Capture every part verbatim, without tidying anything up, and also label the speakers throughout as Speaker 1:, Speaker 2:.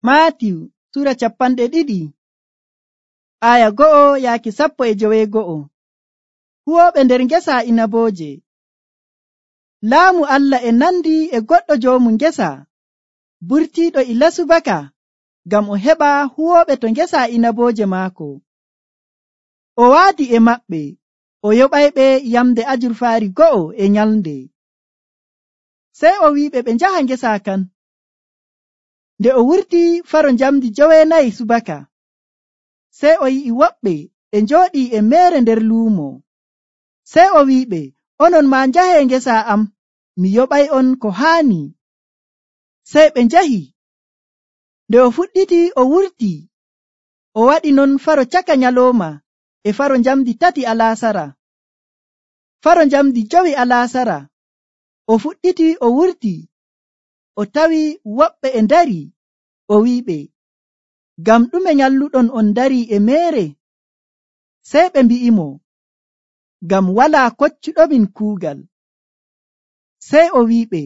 Speaker 1: Maatiyu sura capanɗe ɗiɗi aya go'o yaaki sappo e joweego'o. Huwooɓe nder ngesa inabooje. Laamu Allah e nandi e goɗɗo joomu ngesa burtiiɗo ila subaka ngam o heɓa huwooɓe to ngesa inabooje maako. O waadi e maɓɓe o yoɓayɓe yamde ajurfaari go'o e nyalnde. Sey o wi'iɓe ɓe njaha ngesa kan. Nde o wurti faro njamdi joweenayi subaka, sey o yi'i woɓɓe e njooɗii e meere nder luumo. Sey o wi'iɓe, onon maa njahee ngesa am, mi yoɓay'on ko haani. Sey ɓe njahi. Nde o fuɗɗiti o wurti, o waɗi non faro caka nyalooma e faro njamdi tati alaasara. Faro njamdi jowi alaasara, o fuɗɗiti o wurti, o tawi woɓɓe e ndari, o wi'iɓe, ngam ɗume nyalluɗon on ndarii e meere? Sey ɓe mbi'imo, ngam walaa koccuɗomin kuugal. Sey o wi'iɓe,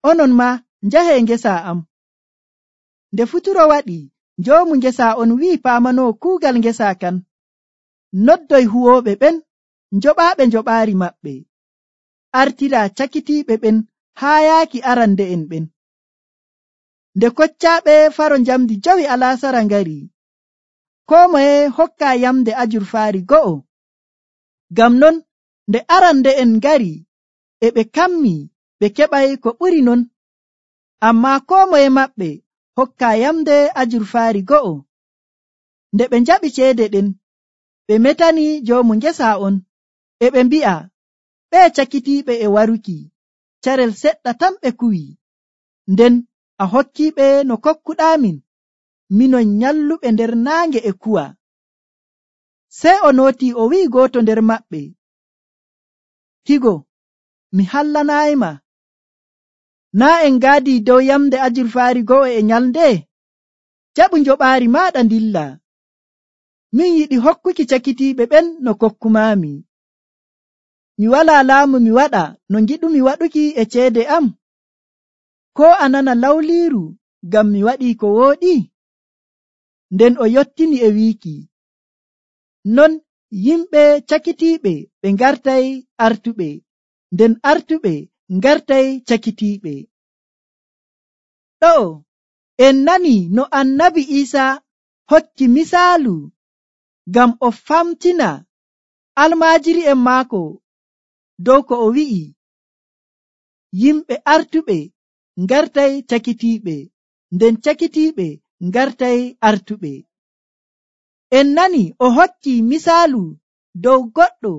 Speaker 1: onon maa njahee ngesa am. Nde futuro waɗi, njoomu ngesa on wi'i paamanoo kuugal ngesa kan, noddoy huwooɓe ɓen, njoɓaaɓe njoɓaari maɓɓe, artira cakitiiɓe ɓen haa yaaki arande'en ɓen. Nde koccaaɓe faro njamdi jowi alaasara ngari, koo moye hokkaa yamde ajurfaari go'o. Ngam non nde arande'en ngari e ɓe kammii ɓe keɓay ko ɓuri non, ammaa koo moye maɓɓe hokkaa yamde ajurfaari go'o. Nde ɓe njaɓi ceede ɗen, ɓe metani joomu ngesa on, e ɓe mbi'a, ɓee cakitiiɓe e waruki, carel seɗɗa tan ɓe kuwi, nden a hokkiiɓe no kokkuɗaamin, minon nyalluɓe nder naange e kuwa. Sey o nootii o wi'i gooto nder maɓɓe, higo, mi hallanaayima. Naa en ngaadii dow yamde ajurfaari go'o e nyalnde? Jaɓu njoɓaari maaɗa ndilla. Min yiɗi hokkuki cakitiiɓe ɓen no kokkumaami. Mi walaa laamu mi waɗa no ngiɗumi waɗuki e ceede am? Koo a nana lawliiru ngam mi waɗii ko wooɗi? Nden o yottini e wiiki, non yimɓe cakitiiɓe ɓe ngartay artuɓe, nden artuɓe ngartay cakitiiɓe. Ɗo'o en nanii no annabi Iisaa hokki misaalu ngam o famtina almaajiri'en maako dow ko o wi'i, yimɓe artuɓe ngartay cakitiiɓe, nden cakitiiɓe ngartay artuɓe. En nani o hokki misaalu dow goɗɗo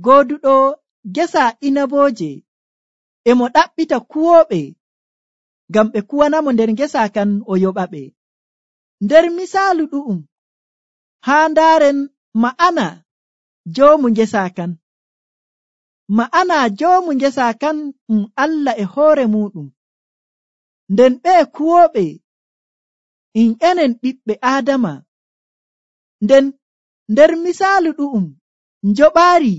Speaker 1: gooduɗo gesa inabooje e mo ɗaɓɓita kuwooɓe ngam ɓe kuwanamo nder ngesa kan o yoɓaɓe. Nder misaalu ɗu'um haa ndaaren ma'ana joomu ngesa kan. Ma'ana joomu ngesa kan ɗum Allah e hoore muɗum, nden ɓee kuwooɓe in enen ɓiɓɓe Aadama. Nden nder misaalu ɗu'um njoɓaari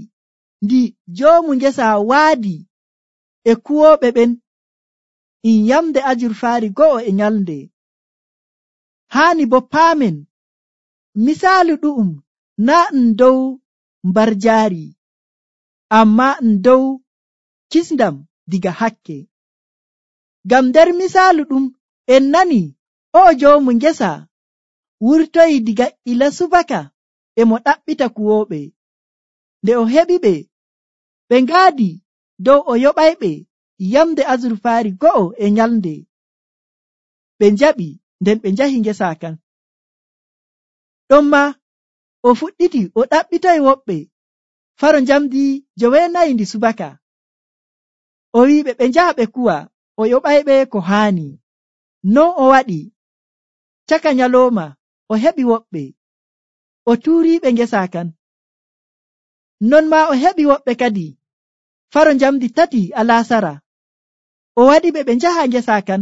Speaker 1: ndi joomu ngesa waadi e kuwooɓe ɓen in yamde ajurfaari go'o e nyalnde. Haani bo paamen misaalu ɗu'um naa ɗum dow mbarjaari, ammaa ɗum dow kisndam diga hakke. Ngam nder misaalu ɗum en nani o'o joomu ngesa wurtoyi diga ila subaka e mo ɗaɓɓita kuwooɓe. Nde o heɓiɓe, ɓe ngaadi dow o yoɓayɓe yamde azurfaari go'o e nyalnde. Ɓe njaɓi, nden ɓe njahi ngesa kan. Ɗonma o fuɗɗiti o ɗaɓɓitoy woɓɓe faro njamdi joweenayi ndi subaka. O wi'iɓe ɓe njaha ɓe kuwa, o yoɓayɓe ko haani. Non o waɗi. Caka nyalooma o heɓi woɓɓe, o tuuriiɓe ngesa kan. Non maa o heɓi woɓɓe kadi faro njamdi tati alaasara. O waɗiɓe ɓe njaha ngesa kan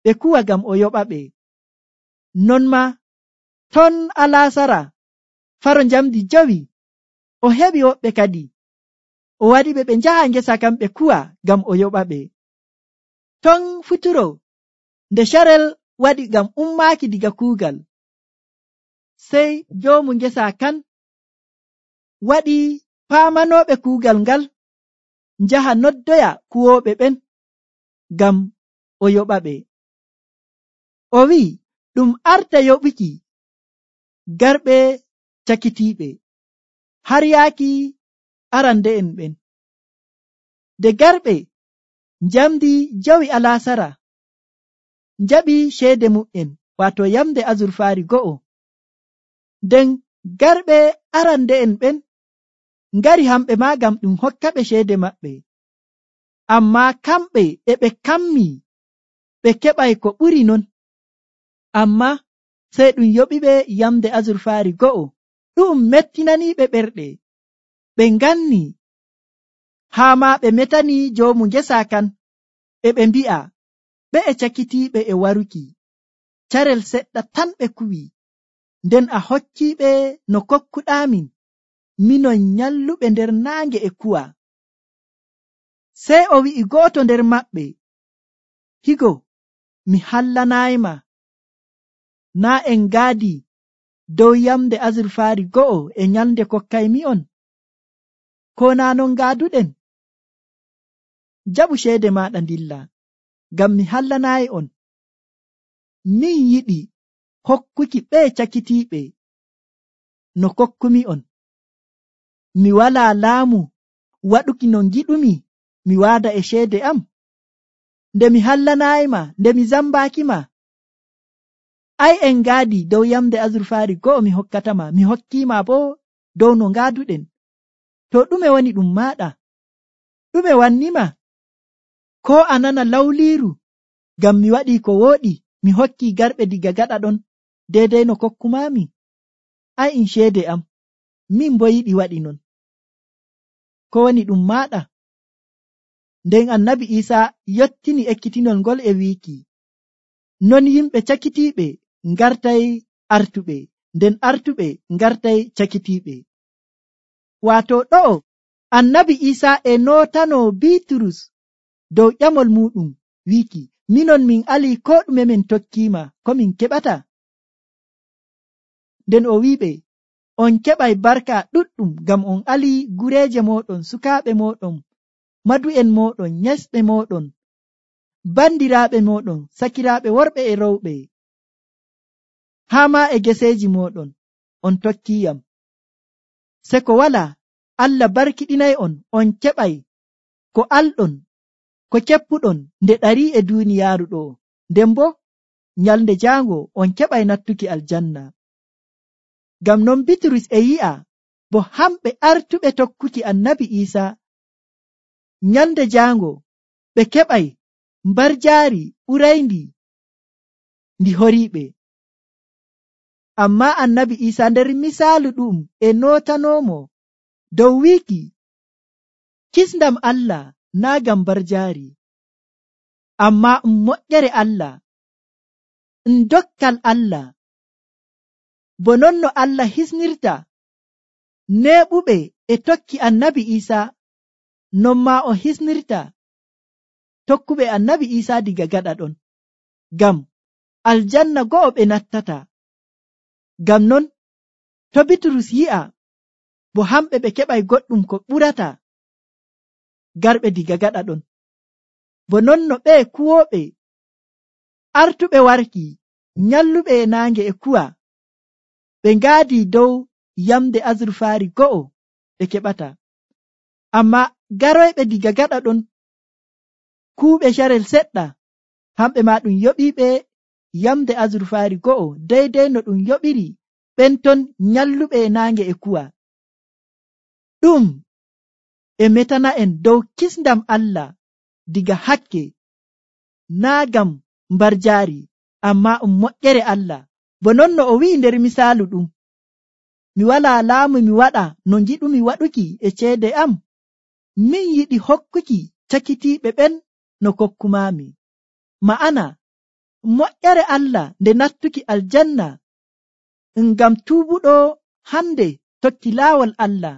Speaker 1: ɓe kuwa ngam o yoɓaɓe. Non maa ton alaasara faro njamdi jowi o heɓi woɓɓe kadi, o waɗiɓe ɓe njaha ngesa kan ɓe kuwa ngam o yoɓaɓe. Ton futuro nde carel waɗi ngam ummaaki diga kuugal. Sey joomu ngesa kan waɗi paamanooɓe kuugal ngal njaha noddoya kuwooɓe ɓen ngam o yoɓa ɓe. O wi'i ɗum arta yoɓuki garɓe cakitiiɓe har yaaki arande'en ɓen. De garɓe njamdi jawi alaasara njaɓi ceede mu'en waato yamde azurfaari go'o. Nden garɓe arande'en ɓen ngari hamɓe maa ngam ɗum hokka ɓe ceede maɓɓe. Ammaa kamɓe e ɓe kammi ɓe keɓay ko ɓuri non. Ammaa sey ɗum yoɓiɓe yamde azurfaari go'o. Ɗum mettinaniiɓe ɓerɗe. Ɓe nganni haa maa ɓe metani joomu ngesa kan e ɓe mbi'a ɓe e cakitiiɓe e waruki. Carel seɗɗa tan ɓe kuwi. Nden a hokkiiɓe no kokkuɗaamin, minon nyalluɓe nder naange e kuwa. Sey o wi'i go'oto nder maɓɓe, higo mi hallanayma, naa en ngaadi dow yamde azurfaari go'o e nyalde kokkaymi'on, ko naa non ngaaduɗen? Jaɓu ceede maaɗa ndilla, ngam mi hallanaayi on. Min yiɗi hokkuki ɓee cakitiiɓe no kokkumi'on. Mi walaa laamu waɗuki no ngiɗumi mi waada e ceede am. Nde mi hallanaayima, nde mi zambaakima, ay en ngaadi dow yamde azurfaari go'o mi hokkatama, mi hokkiima boo dow no ngaaduɗen. To ɗume woni ɗum maaɗa? Ɗume wannima? Ko a nana lawliiru ngam mi waɗii ko wooɗi, mi hokkii garɓe diga gaɗa ɗon deedey no kokkumaami? Ay in ceede am, min boo yiɗi waɗi non. Ko woni ɗum maaɗa? Nden annabi Iisaa yottini ekkitinol ngol e wiiki, non yimɓe cakitiiɓe ngartay artuɓe, nden artuɓe ngartay cakitiiɓe. Waato ɗo'o annabi Iisaa e nootanoo Biiturus dow ƴamol muuɗum wiiki, minon min alii koo ɗume min tokkiima ko min keɓata. Nden o wi'iɓe, on keɓay barka ɗuɗɗum ngam on alii gureeje mooɗon, sukaaɓe mooɗon, madu'en mooɗon, nyesɓe mooɗon, bandiraaɓe mooɗon, sakiraaɓe worɓe e rowɓe, haa maa e geseeji mooɗon, on tokkiiyam. Se ko walaa, Allah barkiɗinay on, on keɓay ko alɗon, ko keppuɗon nde ɗarii e duuniyaaru ɗo, nden boo nyalnde jaango on keɓay nattuki aljanna. Ngam non Bitrus e yi'a bo hamɓe artuɓe tokkuki annabi Iisaa nyalnde jaango ɓe keɓay mbarjaari ɓurayndi ndi horiiɓe. Ammaa annabi Iisaa nder misaalu ɗum e nootanoomo dow wiiki kisndam Allah naa ngam mbarjaari, ammaa um moƴƴere Allah, um dokkal Allah. Bo non no Allah hisnirta neeɓuɓe e tokki annabi Iisaa, non maa o hisnirta tokkuɓe annabi Iisaa diga gaɗa ɗon, ngam aljanna go'o ɓe nattata. Ngam non to Bitrus yi'a bo hamɓe ɓe keɓay goɗɗum ko ɓurata garɓe diga gaɗa ɗon, bo non no ɓe kuwooɓe artuɓe warki nyalluɓe e naange e kuwa, ɓe ngaadi dow yamde azurfaari go'o ɓe keɓata. Ammaa garoyɓe diga gaɗa ɗon kuuɓe carel seɗɗa, hamɓe maa ɗum yoɓiiɓe yamde azurfaari go'o deydey no ɗum yoɓiri ɓen ton nyalluɓe e naange e kuwa. Ɗum e metana en dow kisndam Allah diga hakke, naa ngam mbarjaari, ammaa um moƴƴere Allah. Bo non no o wi'i nder misaalu ɗum, mi walaa laamu mi waɗa no ngiɗumi waɗuki e ceede am, min yiɗi hokkuki cakitiiɓe ɓen no kokkumaami. Ma'ana moƴƴere Allah nde nattuki aljanna ngam tuubuɗo hande tokki laawol Allah,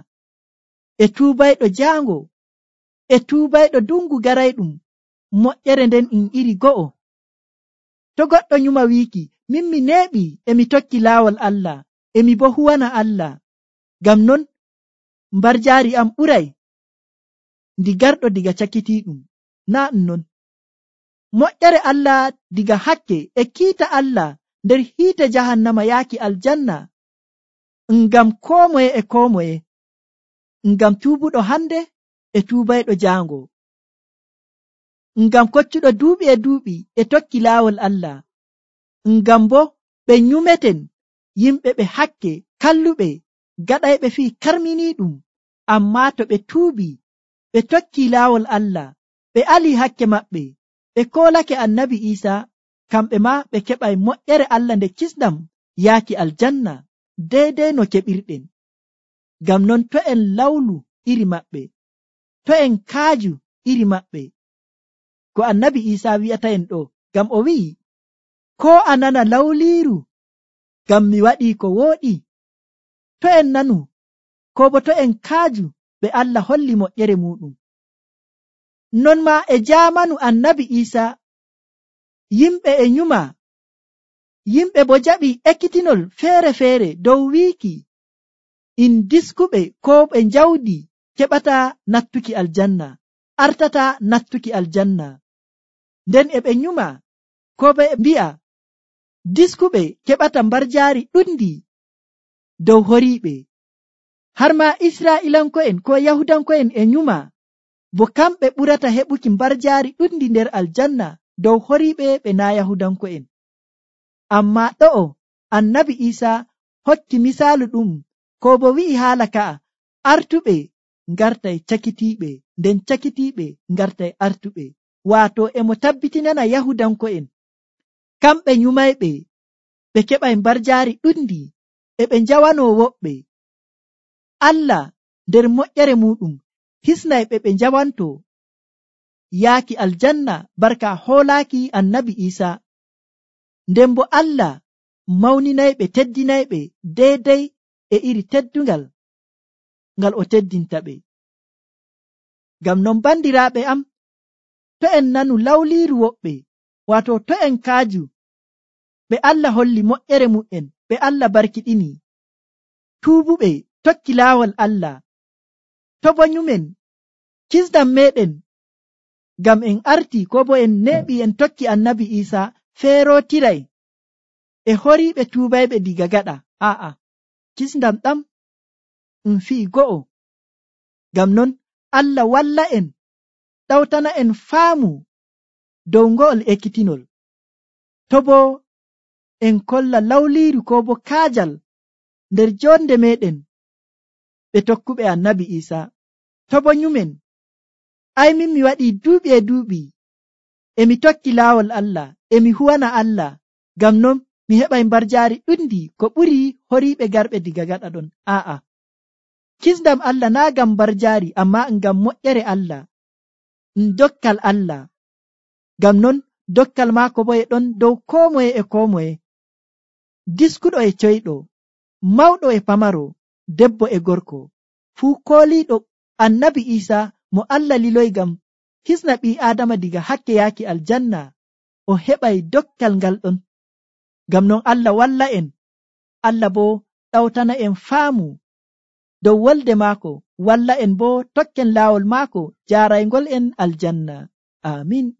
Speaker 1: e tuubayɗo jaango, e tuubayɗo dungu garayɗum, moƴƴere nden in iri go'o. To goɗɗo nyuma wiiki, min mi neeɓi emi tokki laawol Allah, emi bo huwana Allah, ngam non mbarjaari am ɓuray ndi garɗo diga cakitiiɗum. Naa non. Moƴƴere Allah diga hakke e kiita Allah nder hiite jahannama yaaki aljanna, ngam koo moye e koo moye, ngam tuubuɗo hande e tuubayɗo jaango, ngam koccuɗo duuɓi e duuɓi e tokki laawol Allah, ngam bo ɓe nyumeten yimɓe ɓe hakke kalluɓe gaɗayɓe fii karminiiɗum. Ammaa to ɓe tuubi ɓe tokki laawol Allah, ɓe ali hakke maɓɓe, ɓe koolake annabi Iisa, kamɓe ma ɓe keɓay moƴƴere Allah nde kisɗam yaaki aljanna deydey no keɓirɗen. Ngam non to en lawlu iri maɓɓe, to en kaaju iri maɓɓe, ko annabi Iisa wi'ata en ɗo, ngam o wi'i, koo a nana lawliiru ngam mi waɗii ko wooɗi. To en nanu, ko bo to en kaaju, ɓe Allah holli moƴƴere muɗum. Non ma e jaamanu annabi Iisa, yimɓe e nyuma, yimɓe bo jaɓi ekkitinol feere-feere dow wiiki in diskuɓe ko ɓe njawdi keɓata nattuki aljanna, artata nattuki aljanna. Nden e ɓe nyuma ko ɓe mbi'a diskuɓe keɓata mbarjaari ɗundi dow horiiɓe. Har ma Israa'ilanko'en ko Yahudanko'en e nyuma, bo kamɓe ɓurata heɓuki mbarjaari ɗundi nder aljanna dow horiiɓe ɓe naa Yahudanko'en. Ammaa ɗo'o annabi Iisa hokki misaalu ɗum, ko bo wi'i haala ka'a, artuɓe ngartay cakitiiɓe, nden cakitiiɓe ngartay artuɓe. Waato emo tabbitinana Yahudanko'en kamɓe nyumayɓe ɓe keɓay mbarjaari ɗundi e ɓe njawanoo woɓɓe. Allah nder moƴƴere muɗum hisnay ɓe ɓe njawanto yaaki aljanna barka hoolaaki annabi Iisa. Nden bo Allah mawninayɓe teddinayɓe deydey e iri teddungal ngal o teddinta ɓe. Ngam non bandiraaɓe am, to en nanu lawliiru woɓɓe, waato to en kaaju, ɓe Allah holli moƴƴere mu'en, ɓe Allah barkiɗini, tuubuɓe tokki laawol Allah, to bo nyumen kisdam meɗen ngam en arti ko bo en neeɓi en tokki annabi Iisa feerootiray e horiiɓe tuubayɓe diga gaɗa. Aa'a, kisdam ɗam ɗum fi'i go'o. Ngam non Allah walla en, ɗawtana en faamu dow ngo'ol ekkitinol. To bo en kolla lawliiru ko bo kaajal nder jonde meɗen ɓe tokkuɓe annabi Iisa, to bo nyumen, ay min mi waɗii duuɓi e duuɓi emi tokki laawol Allah, emi huwana Allah, ngam non mi heɓay mbarjaari ɗundi ko ɓuri horiiɓe garɓe diga gaɗa ɗon. Aa'a, kisdam Allah naa ngam mbarjaari, ammaa ngam moƴƴere Allah, ɗum dokkal Allah. Ngam non dokkal maako bo e ɗon dow koo moye e koo moye, diskuɗo e coyɗo, mawɗo e pamaro, debbo e gorko, fuu kooliiɗo annabi Iisa mo Allah liloy ngam hisna ɓii Aadama diga hakke yaaki aljanna, o heɓay dokkal ngal ɗon. Ngam non Allah walla en, Allah bo ɗawtana en faamu dow wolde maako, walla en bo tokken laawol maako jaaraygol en aljanna. Amin.